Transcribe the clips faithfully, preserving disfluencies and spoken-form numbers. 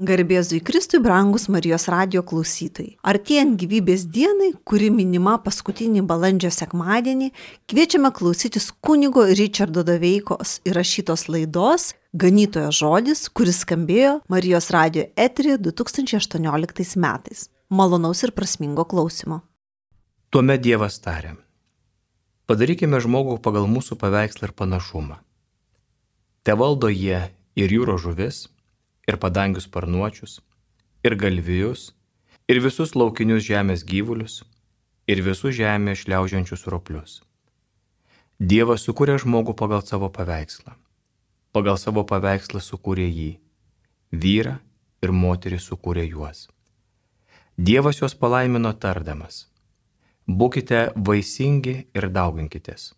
Garbėzui Kristui, brangus Marijos radijo klausytojai. Artėjant gyvybės dienai, kuri minima paskutinį balandžio sekmadienį, kviečiame klausytis kunigo Ričardo Doveikos įrašytos laidos Ganytojo žodis, kuris skambėjo Marijos radijo eteryje du tūkstančiai aštuonioliktais metais. Malonaus ir prasmingo klausimo. Tuomet Dievas tarė: padarykime žmogų pagal mūsų paveikslą ir panašumą. Te valdo jie ir jūros žuvis, ir padangių sparnuočius, ir galvijus, ir visus laukinius žemės gyvulius, ir visus žemėje šliaužiančius roplius. Dievas sukūrė žmogų pagal savo paveikslą. Pagal savo paveikslą sukūrė jį. Vyrą ir moterį sukūrė juos. Dievas juos palaimino tardamas: būkite vaisingi ir dauginkitės.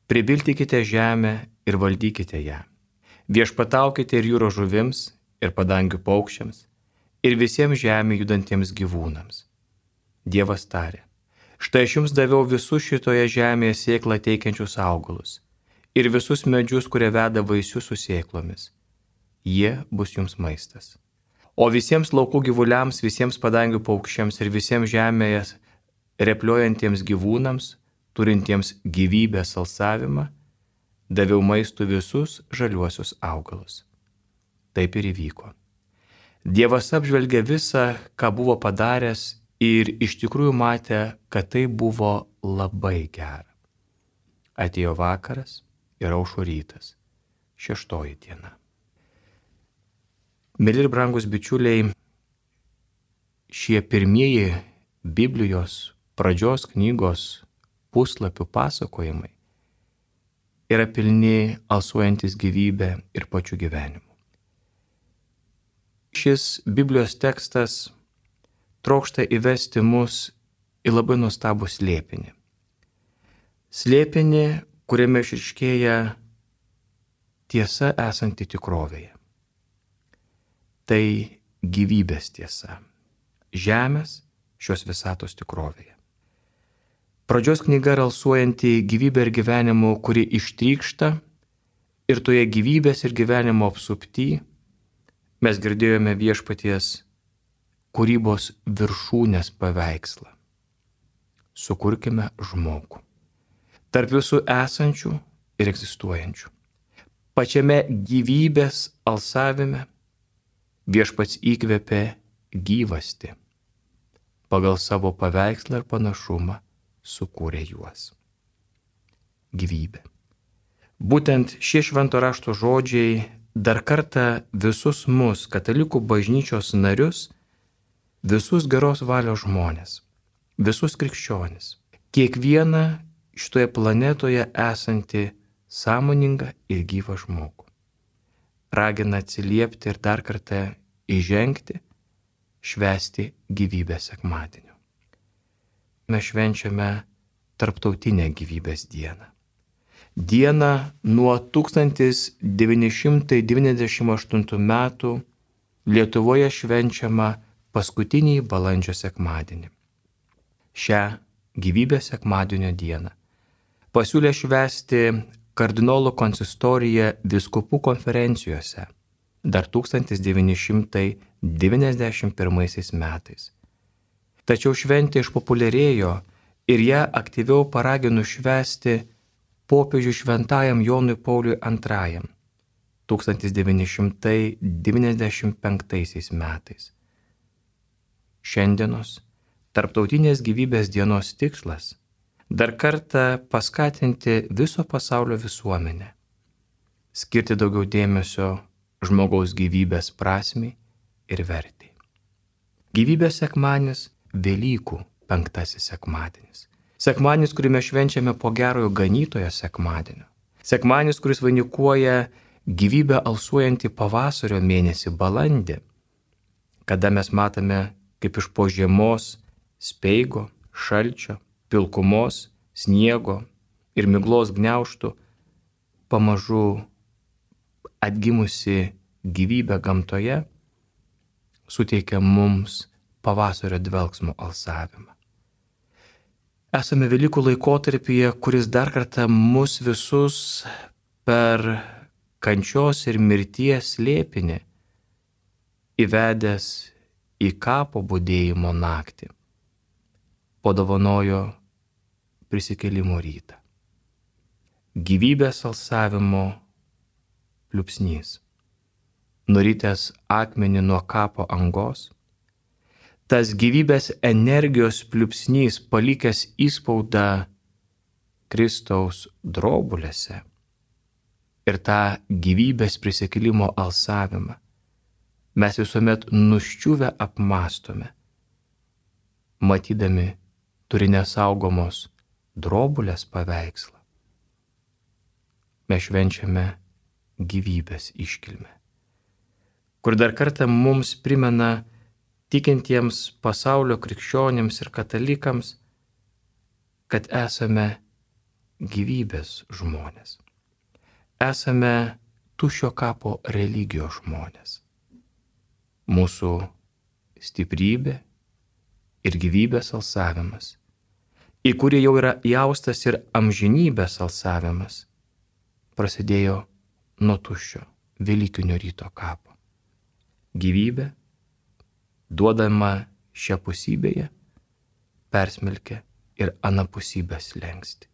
Pribilkite žemę ir valdykite ją. Viešpataukite ir jūros žuvims, ir padangių paukščiams, ir visiems žemė judantiems gyvūnams. Dievas tarė: štai aš jums daviau visus šitoje žemėje sėklą teikiančius augalus, ir visus medžius, kurie veda vaisius su sėklomis. Jie bus jums maistas. O visiems laukų gyvuliams, visiems padangių paukščiams ir visiems žemėje repliuojantiems gyvūnams, turintiems gyvybės alsavimą, daviau maistų visus žaliuosius augalus. Taip ir įvyko. Dievas apžvelgė visą, ką buvo padaręs, ir iš tikrųjų matė, kad tai buvo labai gera. Atėjo vakaras ir aušo rytas, šeštoji diena. Mieli ir brangus bičiuliai, šie pirmieji Biblijos pradžios knygos puslapių pasakojimai yra pilni alsuojantis gyvybę ir pačiu gyvenimu. Šis Biblijos tekstas trokšta įvesti mus į labai nuostabų slėpinį. Slėpinį, kuriame išryškėja tiesa esanti tikrovėje. Tai gyvybės tiesa. Žemės šios visatos tikrovėje. Pradžios knyga yra alsuojanti gyvybė ir gyvenimu, kuri ištrykšta, ir toje gyvybės ir gyvenimo apsupty mes girdėjome viešpaties kūrybos viršūnės paveikslą. Sukurkime žmogų. Tarp visų esančių ir egzistuojančių. Pačiame gyvybės alsavime viešpats įkvėpė gyvastį. Pagal savo paveikslą ir panašumą sukūrė juos. Gyvybė. Būtent šie švento rašto žodžiai dar kartą visus mus, katalikų bažnyčios narius, visus geros valios žmonės, visus krikščionis, kiekvieną šitoje planetoje esantį sąmoningą ir gyvą žmogų, ragina atsiliepti ir dar kartą įžengti, švęsti gyvybės sekmadienio. Mes švenčiame tarptautinę gyvybės dieną. Dieną nuo tūkstantis devyni šimtai devyniasdešimt aštuntų metų Lietuvoje švenčiama paskutinį balandžio sekmadienį. Šią gyvybės sekmadienio dieną pasiūlė švęsti kardinolų konsistorija vyskupų konferencijose dar tūkstantis devyni šimtai devyniasdešimt pirmaisiais metais. Tačiau šventė išpopuliarėjo ir ją aktyviau paragino švęsti popiežiui šventajam Jonui Pauliui antrajam tūkstantis devyni šimtai devyniasdešimt penktaisiais metais. Šiandienos tarptautinės gyvybės dienos tikslas dar kartą paskatinti viso pasaulio visuomenę, skirti daugiau dėmesio žmogaus gyvybės prasmei ir vertei. Gyvybės sekmadienis Velykų penktasis sekmadienis. Sekmadienis, kurį mes švenčiame po gerojo ganytojo sekmadienio. Sekmadienis, kuris vainikuoja gyvybę alsuojantį pavasario mėnesį balandį, kada mes matome, kaip iš po žiemos, speigo, šalčio, pilkumos, sniego ir miglos gniaužtų pamažu atgimusi gyvybė gamtoje suteikia mums pavasario dvelksmo alsavimą. Esame Velykų laikotarpyje, kuris dar kartą mus visus per kančios ir mirties slėpinį įvedęs į kapo budėjimo naktį, padovanojo prisikėlimo rytą. Gyvybės alsavimo pliūpsnys, nuritęs akmenį nuo kapo angos, tas gyvybės energijos pliūpsnys, palikęs įspaudą Kristaus drobulėse ir tą gyvybės prisikėlimo alsavimą mes visuomet nuščiuvę apmastome, matydami turi nesaugomos drobulės paveikslą. Mes švenčiame gyvybės iškilmę, kur dar kartą mums primena tikintiems pasaulio krikščionims ir katalikams, kad esame gyvybės žmonės. Esame tuščio kapo religijos žmonės. Mūsų stiprybė ir gyvybės alsavimas, į kurį jau yra įaustas ir amžinybės alsavimas, prasidėjo nuo tuščio Velykinio ryto kapo. Gyvybė, duodama šią pusybėje, persmelkia ir anapusybės slengsti.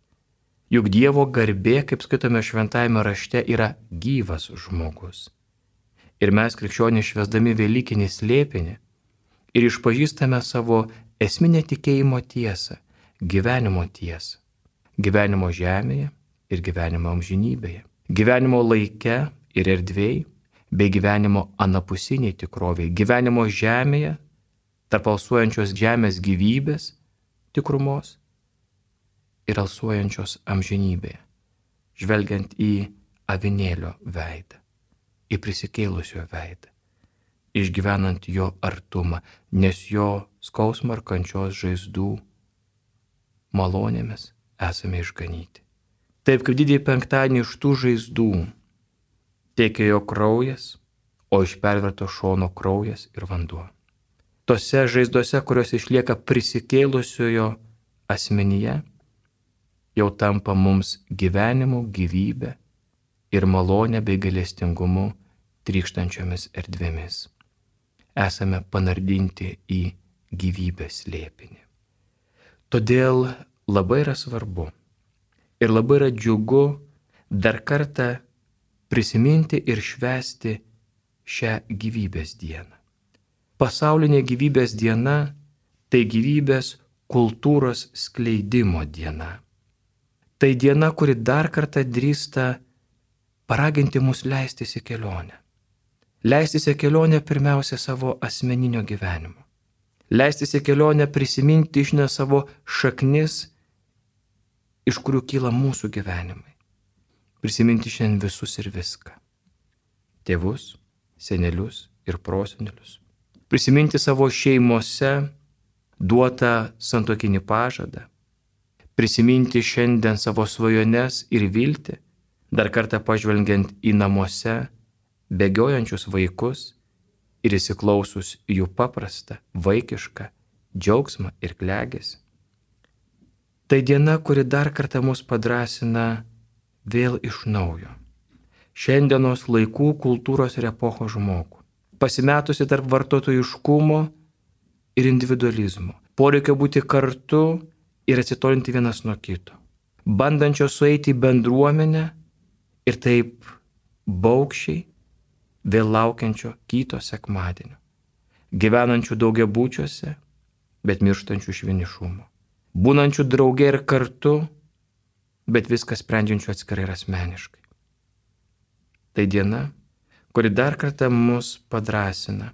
Juk Dievo garbė, kaip skaitome šventajame rašte, yra gyvas žmogus. Ir mes krikščionys švęsdami Velykinį slėpinį ir išpažįstame savo esminę tikėjimo tiesą, gyvenimo tiesą. Gyvenimo žemėje ir gyvenimo amžinybėje. Gyvenimo laike ir erdvėje, bei gyvenimo anapusiniai tikroviai. Gyvenimo žemėje, tarp alsuojančios žemės gyvybės tikrumos ir alsuojančios amžinybėje, žvelgiant į avinėlio veidą, į prisikėlusio veidą, išgyvenant jo artumą, nes jo skausmo ar kančios žaizdų malonėmis esame išganyti. Taip kaip didįjį penktadienį iš tų žaizdų tekėjo kraujas, o iš perverto šono kraujas ir vanduo. Tose žaizdose, kurios išlieka prisikėlusiojo asmenyje, jau tampa mums gyvenimu, gyvybė ir malonė bei gailestingumu trykštančiomis erdvėmis. Esame panardinti į gyvybės slėpinį. Todėl labai yra svarbu ir labai yra džiugu dar kartą prisiminti ir švęsti šią gyvybės dieną. Pasaulinė gyvybės diena tai gyvybės kultūros skleidimo diena. Tai diena, kuri dar kartą drįsta paraginti mus leistis į kelionę. Leistis į kelionę pirmiausia savo asmeninio gyvenimo. Leistis į kelionę prisiminti iš ne savo šaknis, iš kurių kyla mūsų gyvenimai. Prisiminti šiandien visus ir viską. Tėvus, senelius ir prosenelius. Prisiminti savo šeimose duotą santuokinį pažadą. Prisiminti šiandien savo svajones ir viltį, dar kartą pažvelgiant į namuose bėgiojančius vaikus ir įsiklausus jų paprastą, vaikišką džiaugsmą ir klegesį. Tai diena, kuri dar kartą mus padrasina vėl iš naujo. Šiandienos laikų kultūros ir epochos žmogų, pasimetusi tarp vartotojiškumo ir individualizmo, poreikio būti kartu ir atsitolinti vienas nuo kito, bandančio sueiti į bendruomenę ir taip baugščiai vėl laukiančio kito sekmadienio, gyvenančių daugiabučiuose, bet mirštančių iš vienišumo, būnančių drauge ir kartu, bet viską sprendžiančių atskirai ir asmeniškai. Tai diena, kuri dar kartą mus padrasina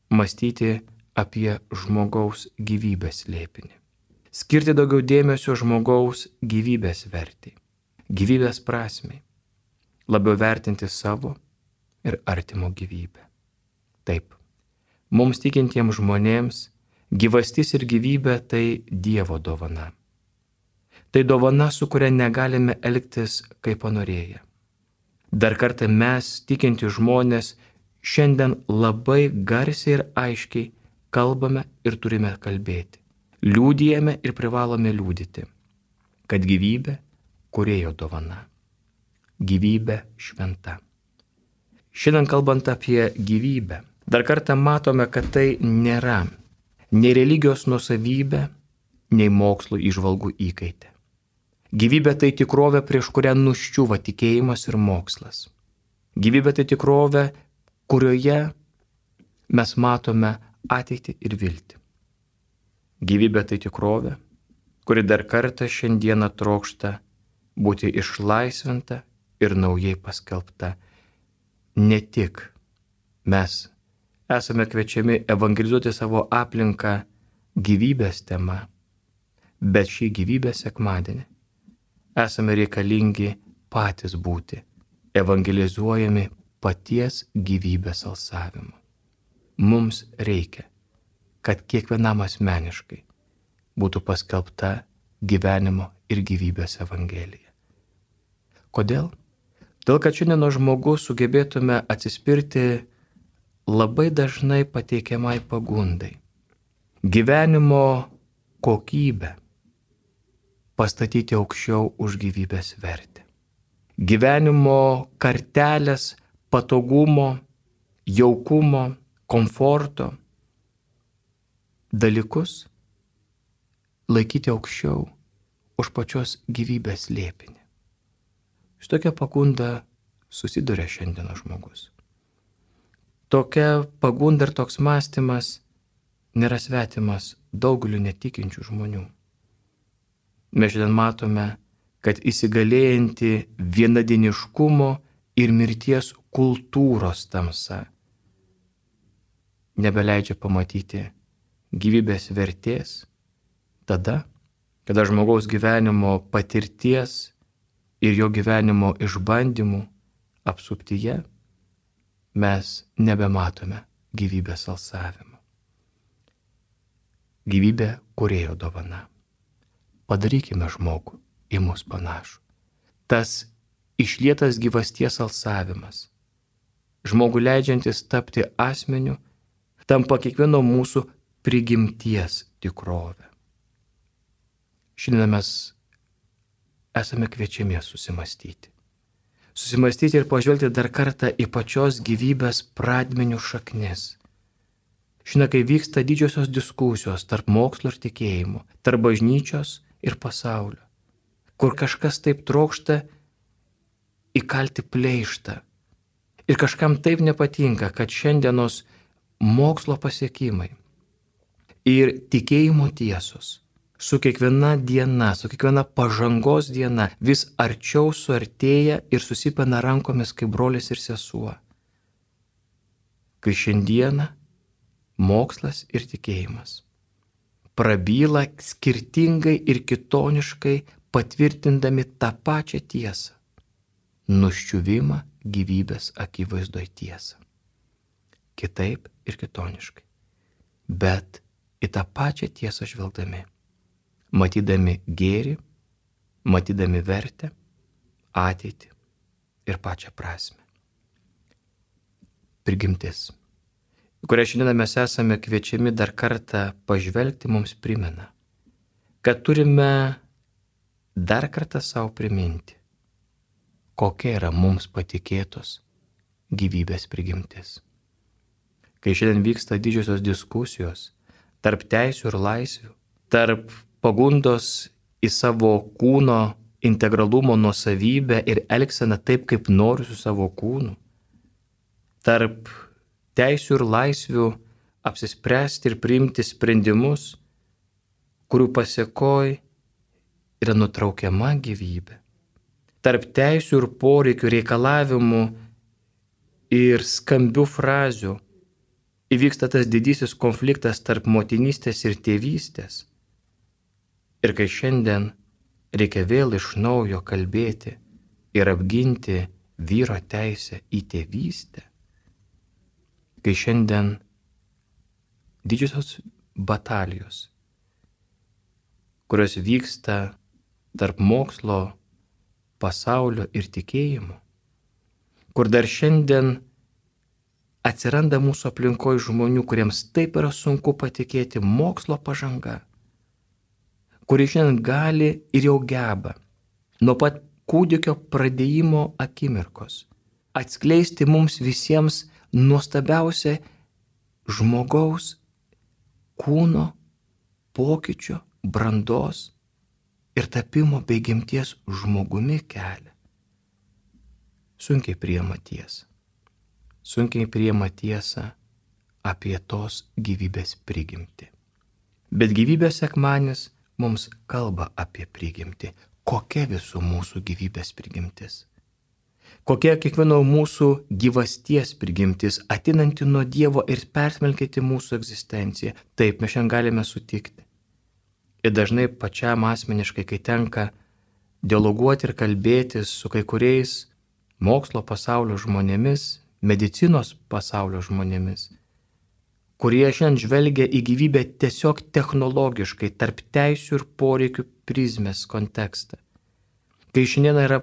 mąstyti apie žmogaus gyvybės slėpinį. Skirti daugiau dėmesio žmogaus gyvybės vertei, gyvybės prasmei, labiau vertinti savo ir artimo gyvybę. Taip, mums tikintiems žmonėms gyvastis ir gyvybė tai Dievo dovana. Tai dovana, su kuria negalime elgtis kaip panorėję. Dar kartą mes, tikinti žmonės, šiandien labai garsiai ir aiškiai kalbame ir turime kalbėti. Liūdijame ir privalome liūdyti, kad gyvybė Kūrėjo dovana. Gyvybė šventa. Šiandien kalbant apie gyvybę, Dar kartą matome, kad tai nėra nei religijos nuosavybė, nei mokslo įžvalgų įkaitė. Gyvybė tai tikrovė, prieš kurią nuščiūva tikėjimas ir mokslas. Gyvybė tai tikrovė, kurioje mes matome ateitį ir viltį. Gyvybė tai tikrovė, kuri dar kartą šiandieną trokšta būti išlaisvinta ir naujai paskelbta. Ne tik mes esame kviečiami evangelizuoti savo aplinką gyvybės tema, bet šį gyvybės sekmadienį esame reikalingi patys būti evangelizuojami paties gyvybės alsavimu. Mums reikia, kad kiekvienam asmeniškai būtų paskelbta gyvenimo ir gyvybės evangelija. Kodėl? Dėl kad šiandieno žmogus sugebėtume atsispirti labai dažnai pateikiamai pagundai. Gyvenimo kokybę pastatyti aukščiau už gyvybės vertę. Gyvenimo kartelės patogumo, jaukumo, komforto dalykus laikyti aukščiau už pačios gyvybės slėpinį. Šitokia pagunda susiduria šiandienos žmogus. Tokia pagunda ir toks mąstymas nėra svetimas daugeliu netikinčių žmonių. Mes šiandien matome, kad įsigalėjanti vienadieniškumo ir mirties kultūros tamsa nebeleidžia pamatyti gyvybės vertės tada, kada žmogaus gyvenimo patirties ir jo gyvenimo išbandymų apsuptyje mes nebematome gyvybės alsavimo. Gyvybė kūrėjo dovana. Padarykime žmogų į mus panašų. Tas išlietas gyvasties alsavimas, žmogų leidžiantis tapti asmeniu, tampa kiekvieno mūsų prigimties tikrovę. Šiandien mes esame kviečiami susimastyti. Susimastyti ir pažvelgti dar kartą į pačios gyvybės pradmenių šaknis. Šiandien, kai vyksta didžiosios diskusijos tarp mokslo ir tikėjimo, tarp bažnyčios ir pasaulio, kur kažkas taip trokšta įkalti pleištą ir kažkam taip nepatinka, kad šiandienos mokslo pasiekimai ir tikėjimo tiesos su kiekviena diena, su kiekviena pažangos diena vis arčiau suartėja ir susipina rankomis kaip brolis ir sesuo. Kai šiandieną mokslas ir tikėjimas prabyla skirtingai ir kitoniškai, patvirtindami tą pačią tiesą, nuščiuvimą gyvybės akivaizdoj tiesą. Kitaip ir kitoniškai, bet į tą pačią tiesą žvelgdami, matydami gėrį, matydami vertę, ateitį ir pačią prasme. Prigimtis, kurią šiandien mes esame kviečiami dar kartą pažvelgti, mums primena, kad turime dar kartą savo priminti, kokia yra mums patikėtos gyvybės prigimtis. Kai šiandien vyksta didžiosios diskusijos tarp teisių ir laisvių, tarp pagundos į savo kūno integralumo nuosavybę ir elgseną taip, kaip noriu su savo kūnu, tarp teisių ir laisvių apsispręsti ir priimti sprendimus, kurių pasekoj yra nutraukiama gyvybė, tarp teisių ir poreikių, reikalavimų ir skambių frazių įvyksta tas didysis konfliktas tarp motinystės ir tėvystės. Ir kai šiandien reikia vėl iš naujo kalbėti ir apginti vyro teisę į tėvystę, kai šiandien didžiosios batalijos, kurios vyksta tarp mokslo, pasaulio ir tikėjimo, kur dar šiandien atsiranda mūsų aplinkoje žmonių, kuriems taip yra sunku patikėti mokslo pažanga, kurie šiandien gali ir jau geba nuo pat kūdikio pradėjimo akimirkos atskleisti mums visiems nuostabiausią žmogaus kūno pokyčio, brandos ir tapimo bei gimties žmogumi kelią. Sunkiai priima tiesą. Sunkiai priima tiesą apie tos gyvybės prigimtį. Bet gyvybės sekmadienis mums kalba apie prigimtį. Kokia visų mūsų gyvybės prigimtis? Kokia kiekvieno mūsų gyvasties prigimtis, ateinanti nuo Dievo ir persmelkianti mūsų egzistenciją. Taip, mes šiandien galime sutikti. Ir dažnai pačiam asmeniškai, kai tenka dialoguoti ir kalbėtis su kai kuriais mokslo pasaulio žmonėmis, medicinos pasaulio žmonėmis, kurie šiandien žvelgia į gyvybę tiesiog technologiškai, tarp teisių ir poreikių prizmės kontekstą. Kai šiandien yra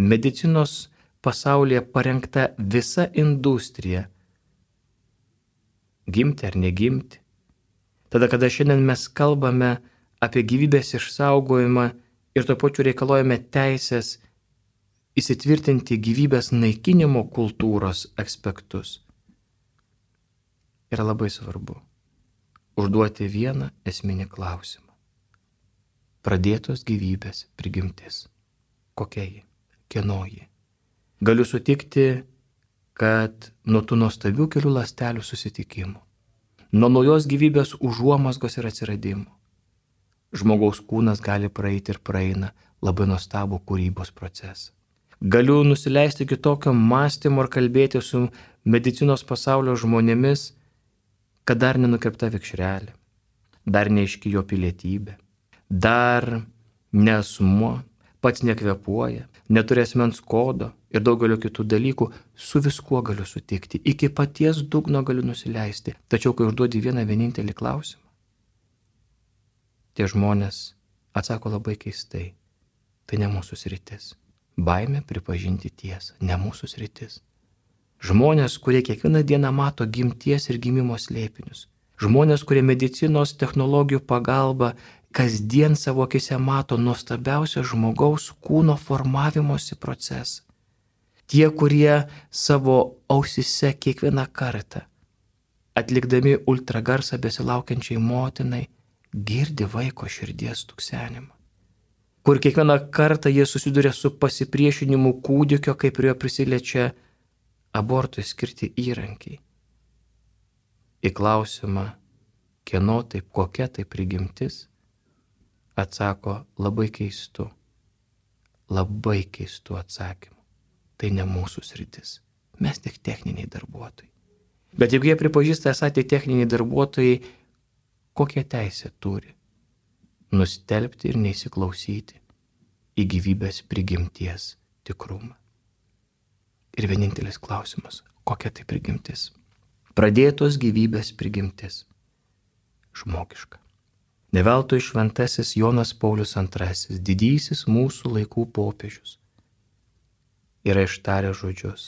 medicinos pasaulyje parengta visa industrija, gimti ar negimti, tada, kada šiandien mes kalbame apie gyvybės išsaugojimą ir tuo pačiu reikaluojame teisės įsitvirtinti gyvybės naikinimo kultūros aspektus, yra labai svarbu užduoti vieną esminį klausimą. Pradėtos gyvybės prigimtis. Kokia ji? Kieno ji? Galiu sutikti, kad nuo tų nuostabių kelių ląstelių susitikimų, nuo naujos gyvybės užuomazgos ir atsiradimo, žmogaus kūnas gali praeiti ir praeina labai nuostabų kūrybos procesą. Galiu nusileisti kitokio mąstymo ir kalbėti su medicinos pasaulio žmonėmis, kad dar nenukirpta vikšrelė, dar neiški jo pilietybė, dar neasmuo, pats nekvepuoja, neturi asmens kodo ir daugelio kitų dalykų, su viskuo galiu sutikti, iki paties dugno galiu nusileisti. Tačiau, kai užduodi vieną vienintelį klausimą, tie žmonės atsako labai keistai, tai ne mūsų sritis. Baimė pripažinti tiesą, ne mūsų sritis. Žmonės, kurie kiekvieną dieną mato gimties ir gimimo slėpinius. Žmonės, kurie medicinos technologijų pagalba kasdien savo akise mato nuostabiausią žmogaus kūno formavimosi procesą. Tie, kurie savo ausise kiekvieną kartą, atlikdami ultragarsą besilaukiančiai motinai, girdi vaiko širdies tuksenimą. Kur kiekvieną kartą jie susiduria su pasipriešinimu kūdikio, kai prie jo prisiliečia abortui skirti įrankiai. Į klausimą, kieno taip, kokia tai prigimtis, atsako labai keistu, labai keistu atsakymu. Tai ne mūsų sritis, mes tik techniniai darbuotojai. Bet jeigu jie pripažįsta esą tai techniniai darbuotojai, kokią teisę turi nustelbti ir neįsiklausyti į gyvybės prigimties tikrumą. Ir vienintelis klausimas, kokia tai prigimtis? Pradėtos gyvybės prigimtis. Žmogiška. Ne veltui šventasis Jonas Paulius antrasis, didysis mūsų laikų popiežius, yra ištarę žodžius.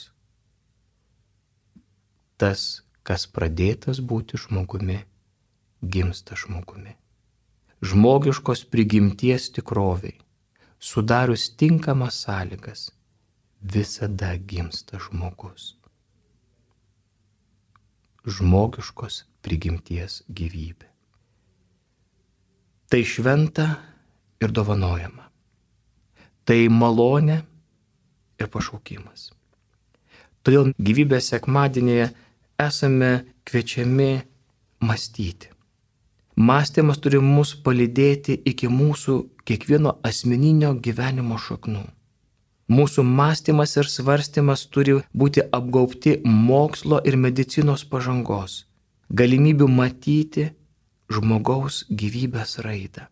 Tas, kas pradėtas būti žmogumi, gimsta žmogumi. Žmogiškos prigimties tikroviai, sudarius tinkamas sąlygas, visada gimsta žmogus. Žmogiškos prigimties gyvybė. Tai šventa ir dovanojama. Tai malonė ir pašaukimas. Todėl gyvybės sekmadienėje esame kviečiami mąstyti. Mąstymas turi mus palydėti iki mūsų kiekvieno asmeninio gyvenimo šaknų. Mūsų mąstymas ir svarstymas turi būti apgaubti mokslo ir medicinos pažangos, galimybių matyti žmogaus gyvybės raidą.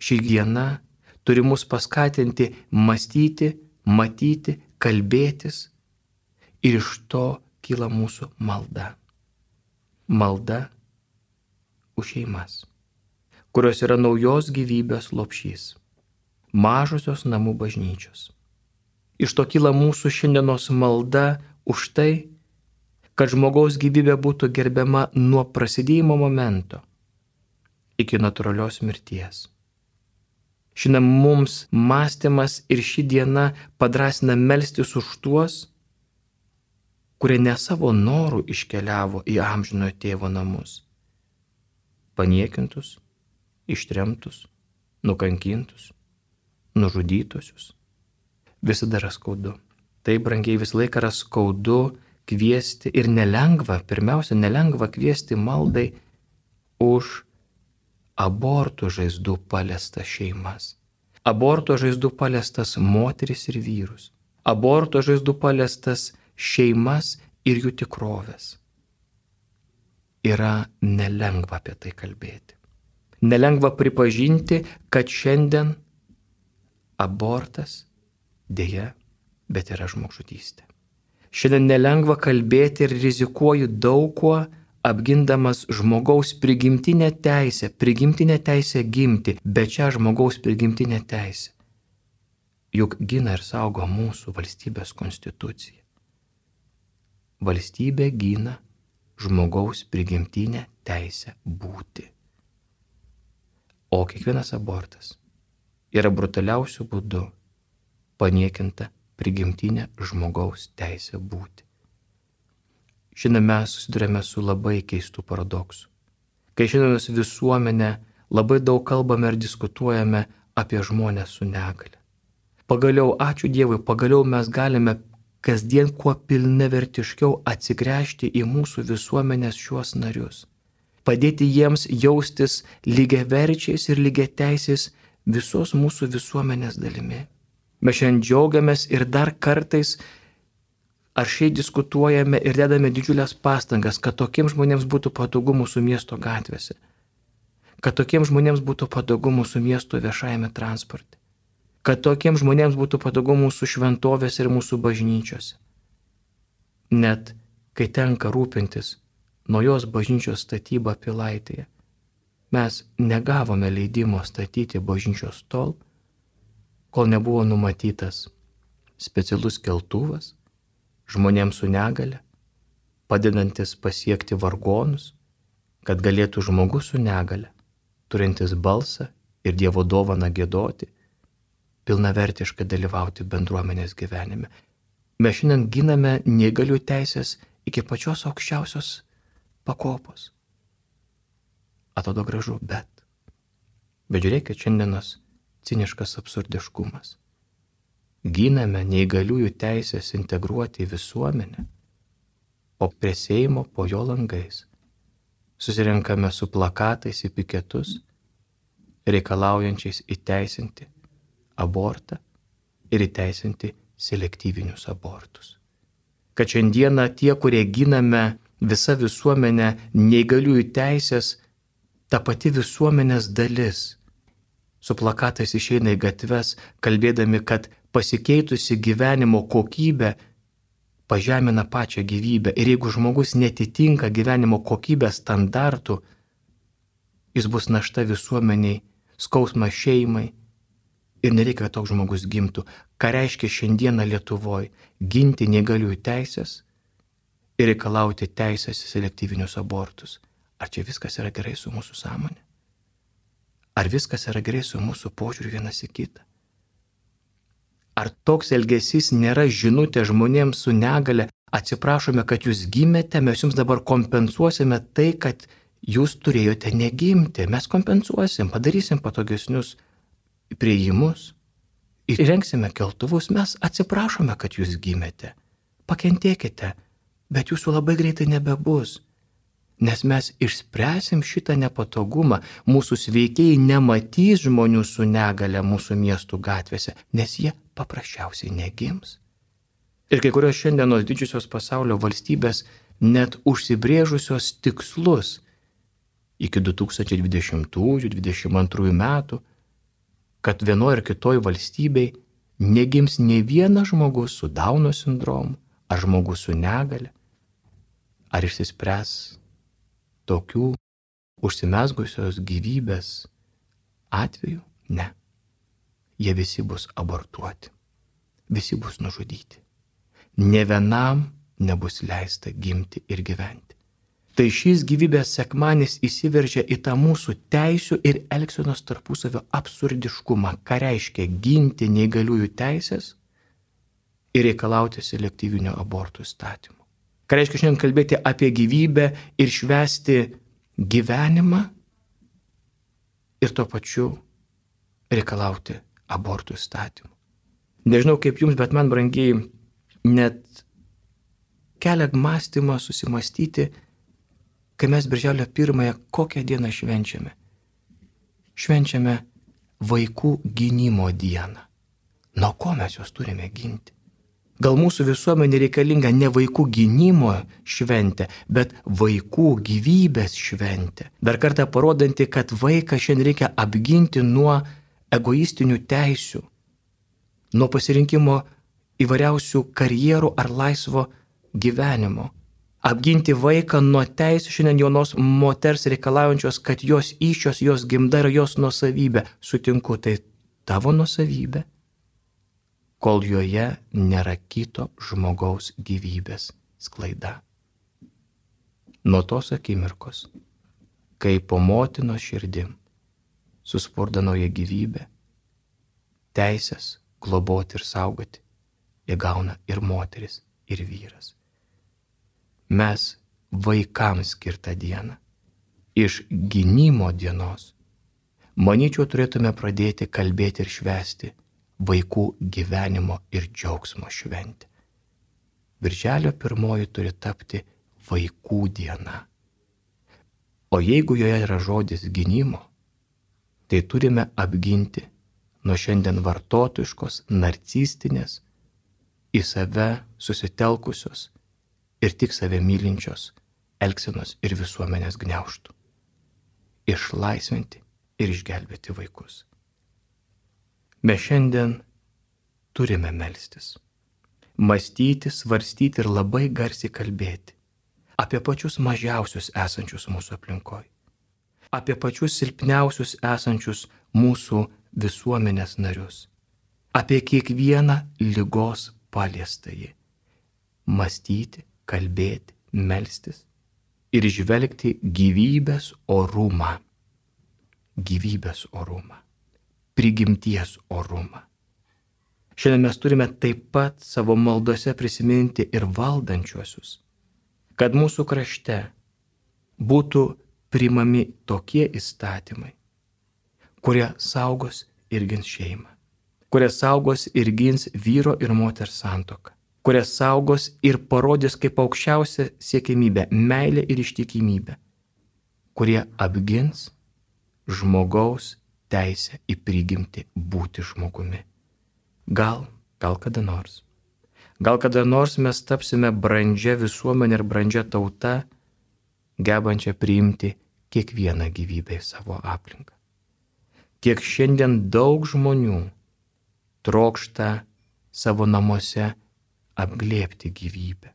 Ši diena turi mus paskatinti mąstyti, matyti, kalbėtis ir iš to kyla mūsų malda. Malda už šeimas, kurios yra naujos gyvybės lopšys, mažosios namų bažnyčios. Iš to kyla mūsų šiandienos malda už tai, kad žmogaus gyvybė būtų gerbiama nuo prasidėjimo momento iki natūralios mirties. Šiandien mums mąstymas ir ši diena padrasina melstis už tuos, kurie ne savo norų iškeliavo į amžinojo tėvo namus. Paniekintus, ištremtus, nukankintus, nužudytusius. Visada yra skaudu. Tai, brangiai, visą laiką yra skaudu kviesti ir nelengva, pirmiausia, nelengva kviesti maldai už abortų žaizdų paliestas šeimas. Aborto žaizdų paliestas moteris ir vyrus. Aborto žaizdų paliestas šeimas ir jų tikrovės. Yra nelengva apie tai kalbėti. Nelengva pripažinti, kad šiandien abortas dėja, bet yra žmogžudystė. Šiandien nelengva kalbėti ir rizikuoju daug kuo, apgindamas žmogaus prigimtinę teisę, prigimtinę teisę gimti, bet čia žmogaus prigimtinę teisę. Juk gina ir saugo mūsų valstybės konstitucija. Valstybė gina žmogaus prigimtinę teisę būti. O kiekvienas abortas yra brutaliausių būdų paniekinta prigimtinė žmogaus teisė būti. Šiandien mes susidurėme su labai keistų paradoksų. Kai šiandienos visuomenė labai daug kalbame ir diskutuojame apie žmonės su negale. Pagaliau, ačiū Dievui, pagaliau mes galime kasdien kuo pilnavertiškiau atsigręžti į mūsų visuomenės šiuos narius. Padėti jiems jaustis lygiaverčiais ir lygiateisiais visos mūsų visuomenės dalimi. Mes šiandien džiaugiamės ir dar kartais aršiai diskutuojame ir dedame didžiulės pastangas, kad tokiems žmonėms būtų patogu mūsų miesto gatvėse, kad tokiems žmonėms būtų patogu mūsų miesto viešajame transporte, kad tokiems žmonėms būtų patogu mūsų šventovėse ir mūsų bažnyčiose. Net kai tenka rūpintis naujos bažnyčios statybą Pilaitėje, mes negavome leidimo statyti bažnyčios tol, kol nebuvo numatytas specialus keltuvas žmonėms su negale, padedantis pasiekti vargonus, kad galėtų žmogus su negale, turintis balsą ir Dievo dovaną giedoti, pilnavertiškai dalyvauti bendruomenės gyvenime. Mes šiandien giname neįgalių teisės iki pačios aukščiausios pakopos. Atrodo gražu, bet. Bet žiūrėkit, šiandienos ciniškas absurdiškumas. Giname neįgaliųjų teisės integruoti į visuomenę, o prie Seimo po jo langais susirenkame su plakatais į piketus, reikalaujančiais įteisinti abortą ir įteisinti selektyvinius abortus. Kad šiandieną tie, kurie giname visą visuomenę neįgaliųjų teisės, ta pati visuomenės dalis, su plakatais išeina į gatves, kalbėdami, kad pasikeitusi gyvenimo kokybė pažemina pačią gyvybę. Ir jeigu žmogus netitinka gyvenimo kokybės standartų, jis bus našta visuomeniai, skausmas šeimai ir nereikia, kad toks žmogus gimtų. Ką reiškia šiandieną Lietuvoje ginti neįgaliųjų teisės ir reikalauti teisės į selektyvinius abortus? Ar čia viskas yra gerai su mūsų sąmonė? Ar viskas yra gerai su mūsų požiūriu vienas į kitą? Ar toks elgesys nėra žinutė žmonėms su negale? Atsiprašome, kad jūs gimėte, mes jums dabar kompensuosime tai, kad jūs turėjote negimti. Mes kompensuosim, padarysim patogesnius priėjimus, įrengsime keltuvus, mes atsiprašome, kad jūs gimėte. Pakentėkite, bet jūsų labai greitai nebebus. Nes mes išspręsim šitą nepatogumą, mūsų sveikieji nematys žmonių su negale mūsų miestų gatvėse, nes jie paprasčiausiai negims. Ir kai kurios šiandienos didžiosios pasaulio valstybės net užsibrėžusios tikslus iki du tūkstančiai dvidešimtųjų dvidešimt antrųjų metų, kad vienoje ar kitoje valstybei negims nei vienas žmogus su Dauno sindromu ar žmogus su negale, ar išsispręs tokių užsimezgusios gyvybės atveju? Ne. Jie visi bus abortuoti. Visi bus nužudyti. Ne vienam nebus leista gimti ir gyventi. Tai šis gyvybės sekmanis įsiveržia į tą mūsų teisių ir elgsenos tarpusavio absurdiškumą, ką reiškia ginti neįgaliųjų teisės ir reikalauti selektyvinio abortų įstatymų. Ką reiškia šiandien kalbėti apie gyvybę ir švęsti gyvenimą ir tuo pačiu reikalauti abortų įstatymų. Nežinau kaip jums, bet man, brangiai, net kelia mąstymą susimastyti, kai mes birželio pirmąją kokią dieną švenčiame. Švenčiame vaikų gynimo dieną. Nuo ko mes juos turime ginti? Gal mūsų visuomenė reikalinga ne vaikų gynimo šventė, bet vaikų gyvybės šventė. Dar kartą parodanti, kad vaiką šiandien reikia apginti nuo egoistinių teisių, nuo pasirinkimo įvairiausių karjerų ar laisvo gyvenimo. Apginti vaiką nuo teisų šiandien jaunos moters reikalaujančios, kad jos įsčios, jos gimda yra jos nuosavybė. Sutinku, tai tavo nuosavybė, kol joje nėra kito žmogaus gyvybės sklaida. Nuo tos akimirkos, kai po motinos širdim suspurda nauja gyvybė, teisės globoti ir saugoti įgauna ir moteris, ir vyras. Mes vaikams skirtą dieną iš gynimo dienos, manyčiau, turėtume pradėti kalbėti ir švęsti vaikų gyvenimo ir džiaugsmo šventę. Birželio pirmoji turi tapti vaikų diena. O jeigu joje yra žodis gynimo, tai turime apginti nuo šiandien vartotojiškos, narcistinės, į save susitelkusios ir tik save mylinčios elgsenos ir visuomenės gniaužtų. Išlaisvinti ir išgelbėti vaikus. Mes šiandien turime melstis, mąstyti, svarstyti ir labai garsiai kalbėti apie pačius mažiausius esančius mūsų aplinkoje, apie pačius silpniausius esančius mūsų visuomenės narius, apie kiekvieną ligos paliestąjį. Mąstyti, kalbėti, melstis ir žvelgti gyvybės orumą, gyvybės orumą, prigimties orumą. Šiandien mes turime taip pat savo maldose prisiminti ir valdančiuosius, kad mūsų krašte būtų priimami tokie įstatymai, kurie saugos ir gins šeimą, kurie saugos ir gins vyro ir moters santuoką, kurie saugos ir parodys kaip aukščiausia siekiamybė, meilė ir ištikimybė, kurie apgins žmogaus teisę į prigimtį būti žmogumi. Gal, gal kada nors. Gal kada nors mes tapsime brandžia visuomenė ir brandžia tauta, gebančia priimti kiekvieną gyvybę į savo aplinką. Kiek šiandien daug žmonių trokšta savo namuose apglėbti gyvybę.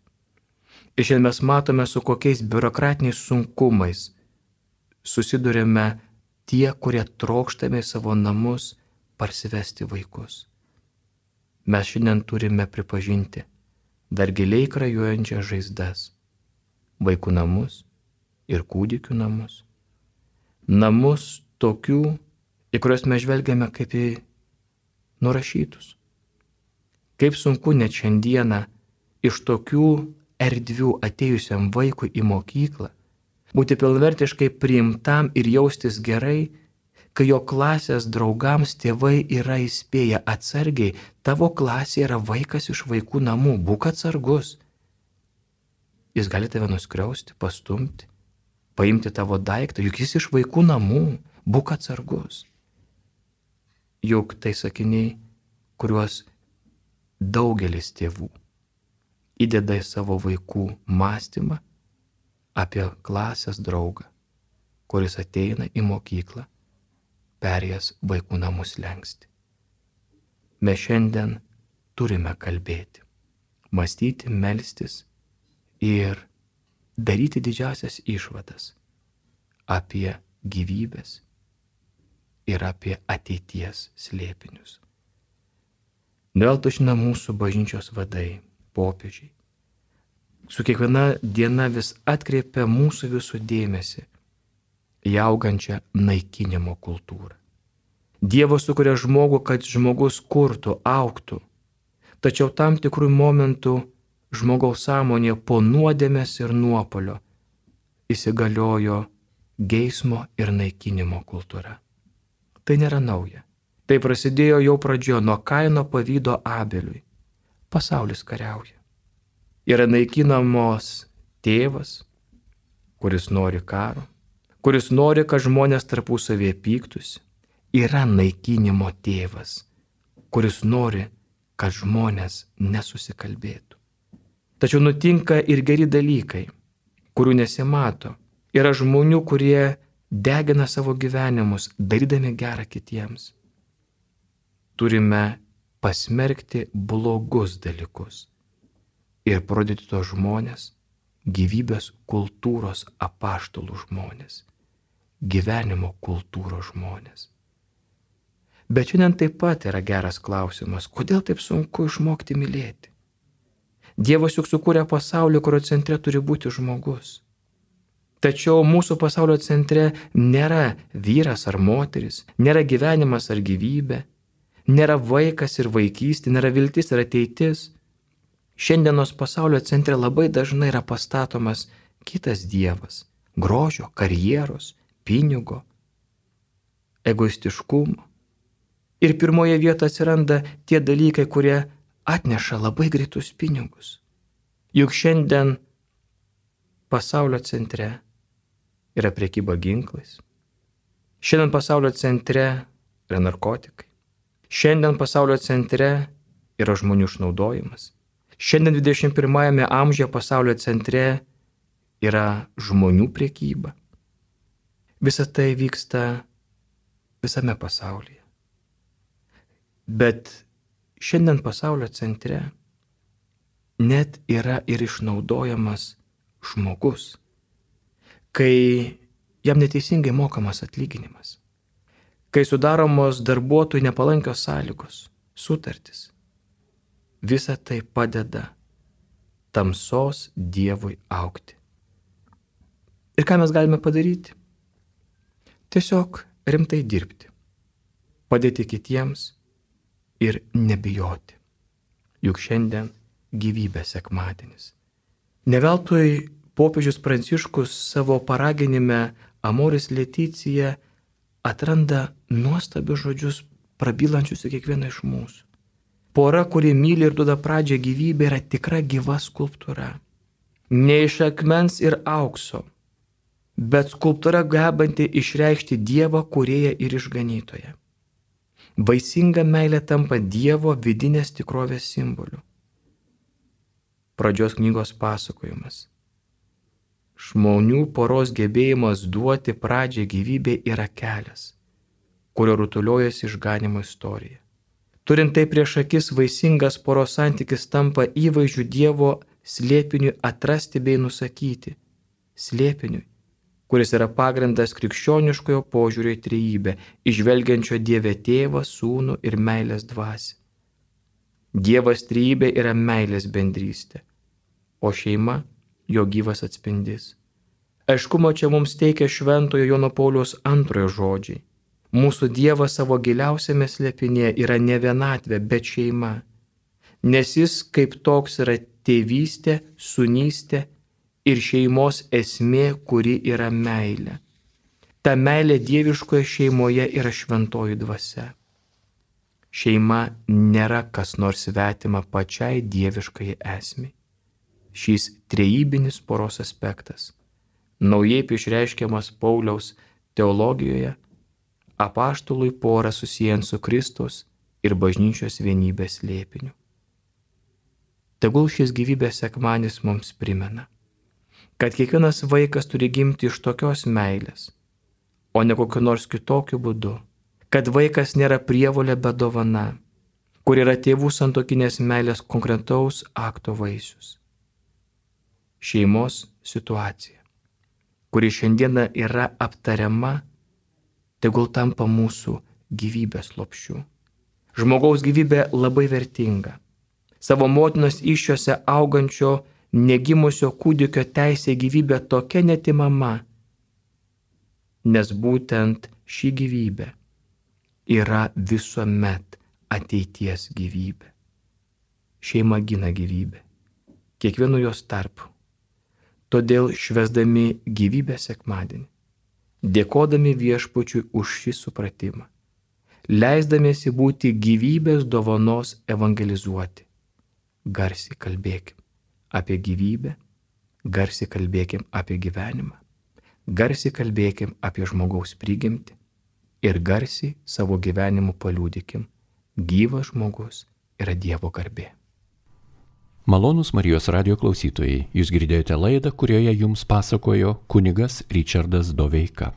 Ir šiandien mes matome, su kokiais biurokratiniais sunkumais susidurime tie, kurie trokštame į savo namus parsivesti vaikus. Mes šiandien turime pripažinti dar giliai krajuojančias žaizdas, vaikų namus ir kūdikių namus. Namus tokių, į kuriuos mes žvelgiame kaip į nurašytus. Kaip sunku net šiandieną iš tokių erdvių atėjusiam vaikui į mokyklą būti pilnvertiškai priimtam ir jaustis gerai, kai jo klasės draugams tėvai yra įspėję atsargiai, tavo klasė yra vaikas iš vaikų namų, būk atsargus. Jis gali tave nuskriausti, pastumti, paimti tavo daiktą, juk jis iš vaikų namų, būk atsargus. Juk tai sakiniai, kuriuos daugelis tėvų įdeda į savo vaikų mąstymą apie klasės draugą, kuris ateina į mokyklą, perėjęs vaikų namus lengsti. Mes šiandien turime kalbėti, mąstyti, melstis ir daryti didžiausias išvadas apie gyvybės ir apie ateities slėpinius. Neveltui šiandien mūsų bažnyčios vadai, popiežiai, su kiekviena diena vis atkreipia mūsų visų dėmesį į augančią naikinimo kultūrą. Dievas sukuria žmogų, kad žmogus kurtų, augtų, tačiau tam tikrų momentų žmogaus sąmonėje po nuodėmės ir nuopolio įsigaliojo geismo ir naikinimo kultūra. Tai nėra nauja. Tai prasidėjo jau pradžioje nuo Kaino pavydo Abeliui. Pasaulis kariauja. Yra naikinamos tėvas, kuris nori karo, kuris nori, kad žmonės tarpusavėje pyktųsi. Yra naikinimo tėvas, kuris nori, kad žmonės nesusikalbėtų. Tačiau nutinka ir geri dalykai, kurių nesimato. Yra žmonių, kurie degina savo gyvenimus, darydami gerą kitiems. Turime pasmerkti blogus dalykus ir parodyti tos žmonės, gyvybės kultūros apaštalų žmonės, gyvenimo kultūros žmonės. Bet šiandien taip pat yra geras klausimas, kodėl taip sunku išmokti mylėti? Dievas juk sukūrė pasaulį, kurio centre turi būti žmogus. Tačiau mūsų pasaulio centre nėra vyras ar moteris, nėra gyvenimas ar gyvybė, nėra vaikas ir vaikystė, nėra viltis ir ateitis. Šiandienos pasaulio centre labai dažnai yra pastatomas kitas dievas - grožio, karjeros, pinigo, egoistiškumo. Ir pirmoje vietoje atsiranda tie dalykai, kurie atneša labai greitus pinigus. Juk šiandien pasaulio centre yra prekyba ginklais. Šiandien pasaulio centre yra narkotikai. Šiandien pasaulio centre yra žmonių išnaudojimas. Šiandien dvidešimt pirmajame amžiuje pasaulio centre yra žmonių prekyba. Visa tai vyksta visame pasaulyje. Bet šiandien pasaulio centre net yra ir išnaudojamas žmogus, kai jam neteisingai mokamas atlyginimas, kai sudaromos darbuotojų nepalankios sąlygos, sutartis. Visa tai padeda tamsos Dievui augti. Ir ką mes galime padaryti? Tiesiog rimtai dirbti, padėti kitiems ir nebijoti. Juk šiandien gyvybės sekmadienis. Ne veltui popiežius Pranciškus savo paraginime Amoris Laetitia atranda nuostabius žodžius prabylančius į kiekvieną iš mūsų. Pora, kuri myli ir duoda pradžią gyvybė, yra tikra gyva skulptūra. Ne iš akmens ir aukso, bet skulptūra gebanti išreikšti Dievą kūrėją ir išganytoją. Vaisinga meilė tampa Dievo vidinės tikrovės simboliu. Pradžios knygos pasakojimas. Žmonių poros gebėjimas duoti pradžią gyvybė yra kelias, kurio rutuliojasi išganimo istorija. Turint tai prieš akis, vaisingas poros santykis tampa įvaizdžiu Dievo slėpiniui atrasti bei nusakyti. Slėpiniui, kuris yra pagrindas krikščioniškojo požiūrio į trejybę, įžvelgiančio Dievę Tėvą, Sūnų ir meilės dvasią. Dievas trejybė yra meilės bendrystė, o šeima jo gyvas atspindys. Aiškumo čia mums teikia šventojo Jono Pauliaus antrojo žodžiai. Mūsų Dievas savo giliausiame slėpinėje yra ne vienatvė, bet šeima, nes jis kaip toks yra tėvystė, sūnystė ir šeimos esmė, kuri yra meilė. Ta meilė dieviškoje šeimoje yra šventoji dvasia. Šeima nėra kas nors svetima pačiai dieviškai esmei. Šis trejybinis poros aspektas, naujai išreiškiamas Pauliaus teologijoje, apaštalui porą susijęs su Kristus ir bažnyčios vienybės slėpiniu. Tegul šis gyvybės sekmadienis mums primena, kad kiekvienas vaikas turi gimti iš tokios meilės, o ne kokiu nors kitokiu būdu, kad vaikas nėra prievolė bet dovana, kur yra tėvų santuokinės meilės konkretaus akto vaisius. Šeimos situacija, kuri šiandieną yra aptariama, tegul tampa mūsų gyvybės lopšiu. Žmogaus gyvybė labai vertinga. Savo motinos įsčiose augančio negimusio kūdikio teisė gyvybė tokia netimama, nes būtent ši gyvybė yra visuomet ateities gyvybė. Šeima gina gyvybę. kiekvienu jos tarpu. Todėl švęsdami gyvybės sekmadienį, dėkodami Viešpačiui už šį supratimą, leisdamiesi būti gyvybės dovanos evangelizuoti, garsiai kalbėkim apie gyvybę, garsiai kalbėkim apie gyvenimą, garsiai kalbėkim apie žmogaus prigimtį ir garsiai savo gyvenimu paliūdikim, gyvas žmogus yra Dievo garbė. Malonūs Marijos radijo klausytojai, jūs girdėjote laidą, kurioje jums pasakojo kunigas Ričardas Doveika.